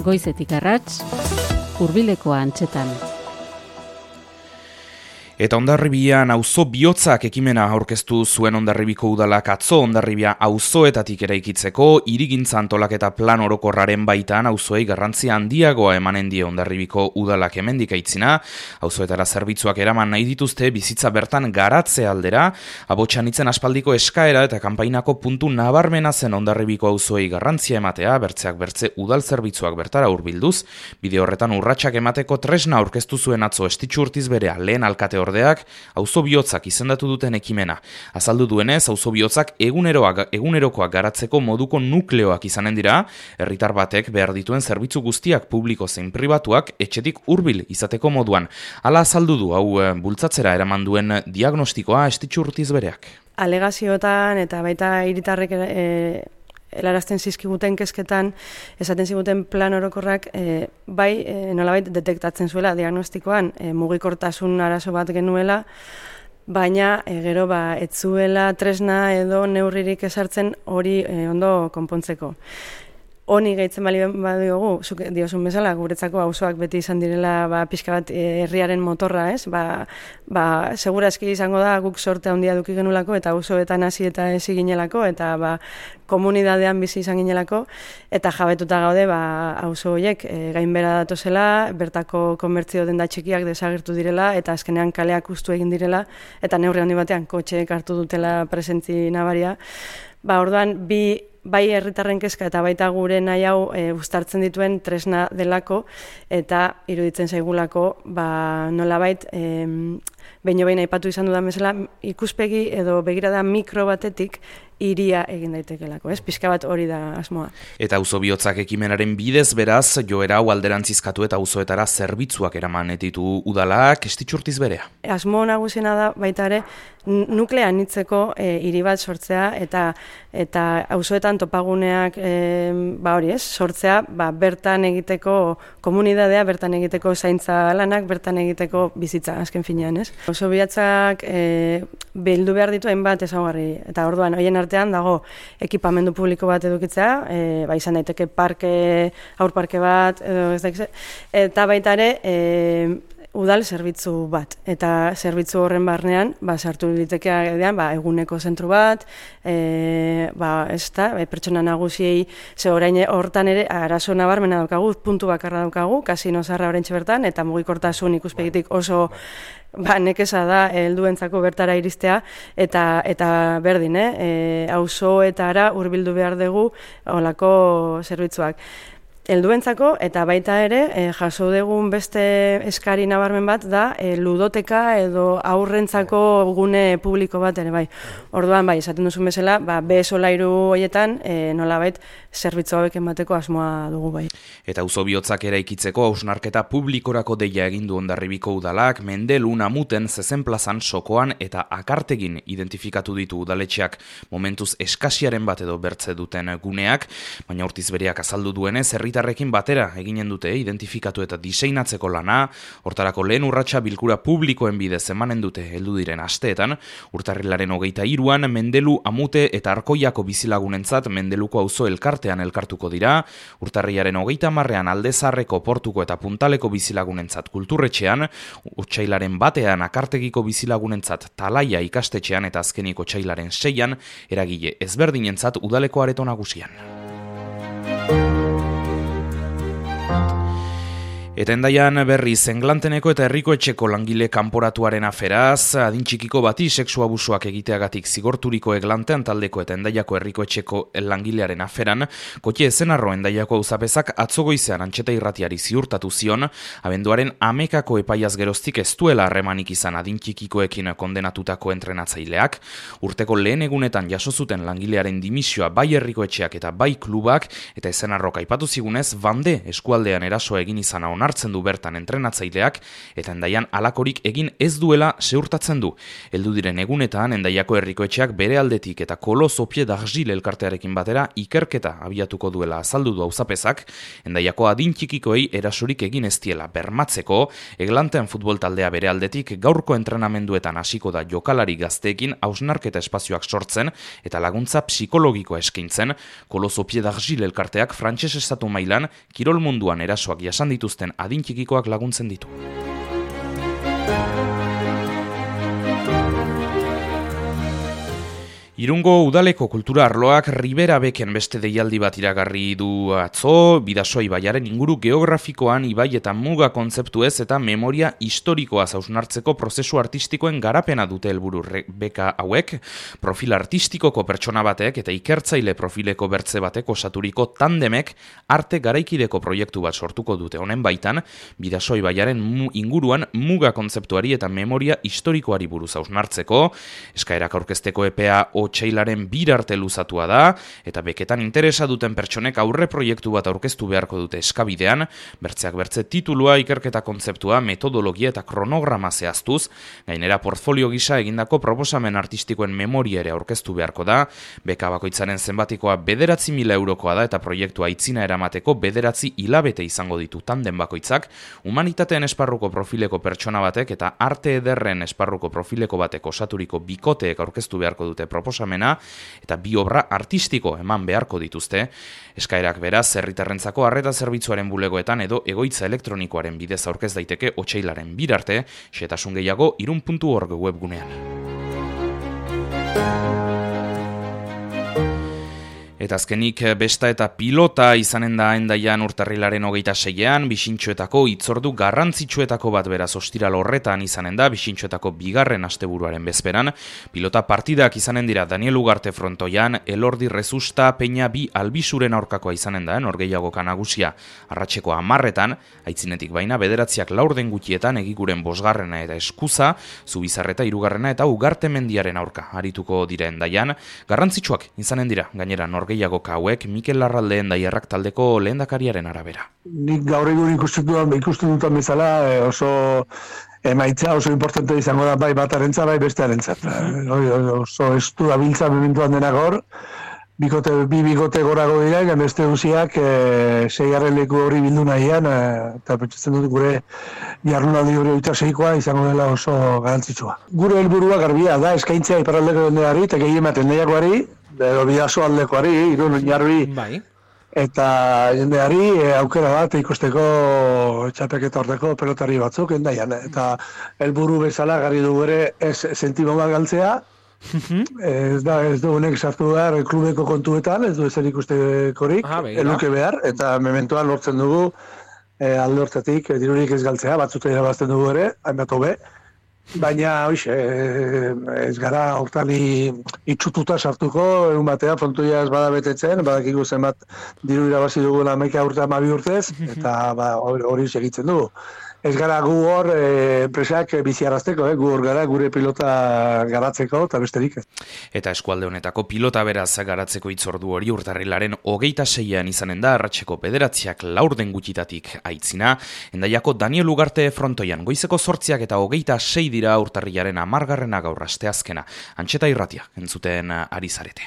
Goizetik arrats, hurbilekoa antzetan. Eta Hondarribian auzo bihotzak ekimena aurkeztu zuen Hondarribiko udalak atzo Hondarribia auzoetatik eraikitzeko hirigintza antolaketa plan orokorraren baitan auzoei garrantzia handiagoa emanen die Hondarribiko udalak hemendik aitzina, auzoetara zerbitzuak eraman nahi dituzte bizitza bertan garatze aldera, Abotxanitzen aspaldiko eskaera eta kanpainako puntu nabarmena zen Hondarribiko auzoei garrantzia ematea, bertzeak bertze udal zerbitzuak bertara hurbilduz, bide horretan urratsak emateko tresna aurkeztu zuen atzo Estitxu Urtizberea lehen alkate ordeak auzo bihotzak izendatu duten ekimena. Azaldu duenez, auzo bihotzak egunerokoak garatzeko moduko nukleoak izanen dira, herritar batek behar dituen zerbitzu guztiak publiko zein pribatuak etxetik hurbil izateko moduan. Hala azaldu du hau bultzatzera eraman duen diagnostikoa Estitxu Urtizbereak. Alegazioetan eta baita hiritarrek helarazten zizkiguten kezketan, esaten ziguten plan orokorrak nolabait detektatzen zuela diagnostikoan mugikortasun arazo bat genuela, baina gero ez zuela tresna edo neurririk ezartzen hori ondo konpontzeko. Honi gehitzen bali badiogu, zuk diozun bezala, guretzako auzoak beti izan direla pixka bat herriaren motorra, ez? Segurazki izango da guk sorte handia eduki genulako eta auzoetan hasi eta ezi ginelako eta komunidadean bizi izan ginelako eta jabetuta gaude auzo horiek gainbera datozela, bertako komertzio denda txikiak desagertu direla eta azkenean kaleak hustu egin direla eta neurri handi batean kotxeek hartu dutela presentzi nabaria. Orduan bai herritarren kezka eta baita gure nahi hau uztartzen dituen tresna delako eta iruditzen zaigulako nolabait behin aipatu izan dudan bezala ikuspegi edo begirada mikro batetik hiria egin daitekelako, ez? Pixka bat hori da asmoa. Eta auzo bihotzak ekimenaren bidez beraz joera hau alderantzizkatu eta auzoetara zerbitzuak eraman ditu udalak Estitxu Urtizberea. Asmo nagusiena da baita ere nuklea anitzeko hiri bat sortzea eta auzoetan topaguneak hori ez, sortzea bertan egiteko komunidadea, bertan egiteko zaintza lanak, bertan egiteko bizitza azken finean, ez? Auzo bihotzak bildu behar ditu hainbat ezaugarri eta orduan horien artean dago ekipamendu publiko bat edukitzea, izan daiteke aur parke bat edo ez dakize, eta baita ere udal zerbitzu bat, eta zerbitzu horren barnean sartu litekean eguneko zentru bat, pertsona nagusiei, ze orain hortan ere arazo nabarmena daukagu, puntu bakarra daukagu, kasino zaharra oraintxe bertan, eta mugikortasun ikuspegitik oso nekeza da helduentzako bertara iristea eta berdin, auzoetara hurbildu behar dugu holako zerbitzuak. Helduentzako eta baita ere jaso dugun beste eskari nabarmen bat da ludoteka edo aurrentzako gune publiko bat ere bai. Orduan esaten duzun bezala, solairu horietan nolabait zerbitzu hauek emateko asmoa dugu bai. Eta auzo bihotzak eraikitzeko hausnarketa publikorako deia egin du Hondarribiko udalak, Mendelun, Amuten, Zezen plazan, Sokoan eta Akartegin identifikatu ditu udaletxeak momentuz eskasiaren bat edo bertze duten guneak, baina Urtizbereak azaldu duenez herritarrekin batera eginen dute identifikatu eta diseinatzeko lana, hortarako lehen urratsa bilkura publikoen bidez emanen dute heldu diren asteetan, urtarrilaren 23an Mendelu, Amute eta Arkoiako bizilagunentzat Mendeluko auzo elkartean elkartuko dira, urtarrilaren 30an Aldezarreko, Portuko eta Puntaleko bizilagunentzat kulturretxean, otsailaren 1ean Akartegiko bizilagunentzat Talaia ikastetxean eta azkeniko otsailaren 6an eragile ezberdinentzat udaleko areto nagusian. Eta Hendaian berriz Englanteneko eta Herriko Etxeko langile kanporatuaren aferaz, adin txikiko bati sexu abusuak egiteagatik zigorturiko Eglantean taldeko eta Hendaiako Herriko Etxeko langilearen aferan, Kotxe Ezenarro Hendaiako auzapezak atzo goizean Antxeta Irratiari ziurtatu zion, abenduaren 11ako epaiaz geroztik ez duela harremanik izan adin txikikoekin kondenatutako entrenatzaileak, urteko lehen egunetan jaso zuten langilearen dimisioa bai Herriko Etxeak eta bai klubak, eta Ezenarrok aipatu zigunez, bande eskualdean erasoa egin izana onartzen du bertan entrenatzaileak eta Hendaian halakorik egin ez duela ziurtatzen du. Heldu diren egunetan Hendaiako herrikoetxeak bere aldetik eta Coloso Pied d'Argile elkartearekin batera ikerketa abiatuko duela azaldu du auzapezak, Hendaiako adin txikikoei erasorik egin ez diela bermatzeko, Eglanten futbol taldea bere aldetik gaurko entrenamenduetan hasiko da jokalari gazteekin hausnarketa espazioak sortzen eta laguntza psikologikoa eskaintzen. Coloso Pied d'Argile elkarteak frantses estatu mailan kirol munduan erasoak jasan dituzten adin txikikoak laguntzen ditu. Irungo udaleko kultura arloak Ribera Beken beste deialdi bat iragarri du atzo, Bidasoa ibaiaren inguru geografikoan ibai eta muga kontzeptuez eta memoria historikoa hausnartzeko prozesu artistikoen garapena dute helburu beka hauek, profil artistikoko pertsona batek eta ikertzaile profileko bertze batek osaturiko tandemek arte garaikideko proiektu bat sortuko dute. Honen baitan, Bidasoa ibaiaren inguruan muga kontzeptuari eta memoria historikoari buruz hausnartzeko, eskaerak aurkezteko epea otsailaren 2 arte luzatua da, eta beketan interesa duten pertsonek aurre proiektu bat aurkeztu beharko dute eskabidean, bertzeak bertze titulua, ikerketa kontzeptua, metodologia eta kronograma zehaztuz, gainera portfolio gisa egindako proposamen artistikoen memoria ere aurkeztu beharko da, beka bakoitzaren zenbatikoa 9.000 eurokoa da eta proiektua aitzina eramateko 9 hilabete izango ditu tanden bakoitzak, humanitateen esparruko profileko pertsona batek eta arte ederren esparruko profileko batek osaturiko bikoteek aurkeztu beharko dute proposamena eta 2 obra artistiko eman beharko dituzte. Eskaerak beraz, herritarrentzako arreta zerbitzuaren bulegoetan edo egoitza elektronikoaren bidez aurkez daiteke otsailaren 2 arte, xehetasun gehiago irun.org webgunean. Eta azkenik besta eta pilota izanen da Hendaian urtarrilaren 26ean, Bixintxoetako hitzordu garrantzitsuetako bat beraz ostiral horretan izanen da, Bixintxoetako 2. asteburuaren bezperan. Pilota partidak izanen dira Daniel Ugarte frontoian, Elordi Rezusta, Peña bi Albisuren aurkakoa izanen da, norgehiagoka nagusia arratseko 10etan, aitzinetik baina 9:04 gutietan egiguren 5. eta Eskuza, Zubizarreta 3. eta Ugarte mendiaren aurka arituko dira Hendaian. Garrantzitsuak izanen dira, gainera gehiagoka hauek Mikel Larralde Hendaiarrak taldeko lehendakariaren arabera. Nik gaur egun ikusten dutan bezala oso emaitza oso importante izango da bai batarentzat bai bestearentzat. Oso estu dabiltza mementuan denak hor, bi bikote gorago dira, eta beste guziak 6. leku hori bildu nahian, eta pentsatzen dut gure jardunaldi hori 26koa izango dela oso garantzitsua. Gure helburua garbia da eskaintzea iparraldeko jendeari eta gehiematen Hendaiakoari, edo Bidasoa aldekoari, Irun, Oinarbi, eta jendeari aukera bat ikusteko txapeketa horteko pelotari batzuk Hendaian. Eta helburu bezala garri dugu ere ez sentimo bat galtzea, ez du honek sartu behar klubeko kontuetan, ez du ezer ikustekorik, eluke behar, eta mementoan lortzen dugu alde hortatik dirurik ez galtzea, batzuk irabazten dugu ere, hainbat hobe. Baina, ez gara hortali itxututa sartuko, egun batea frontoia ez bada betetzen, badakigu zenbat diru irabazi dugu 11 urte 12 urtez, eta hori segitzen dugu. Ez gara gu hor enpresak biziarazteko, gu hor gara gure pilota garatzeko eta besterik. Eta eskualde honetako pilota beraz garatzeko hitzordu hori urtarrilaren 26ean izanen da, arratseko 9:04 gutxitatik aitzina. Hendaiako Daniel Ugarte frontoian goizeko 8 eta 26 dira urtarrilaren 10. gaur asteazkena. Antxeta irratia entzuten ari zarete.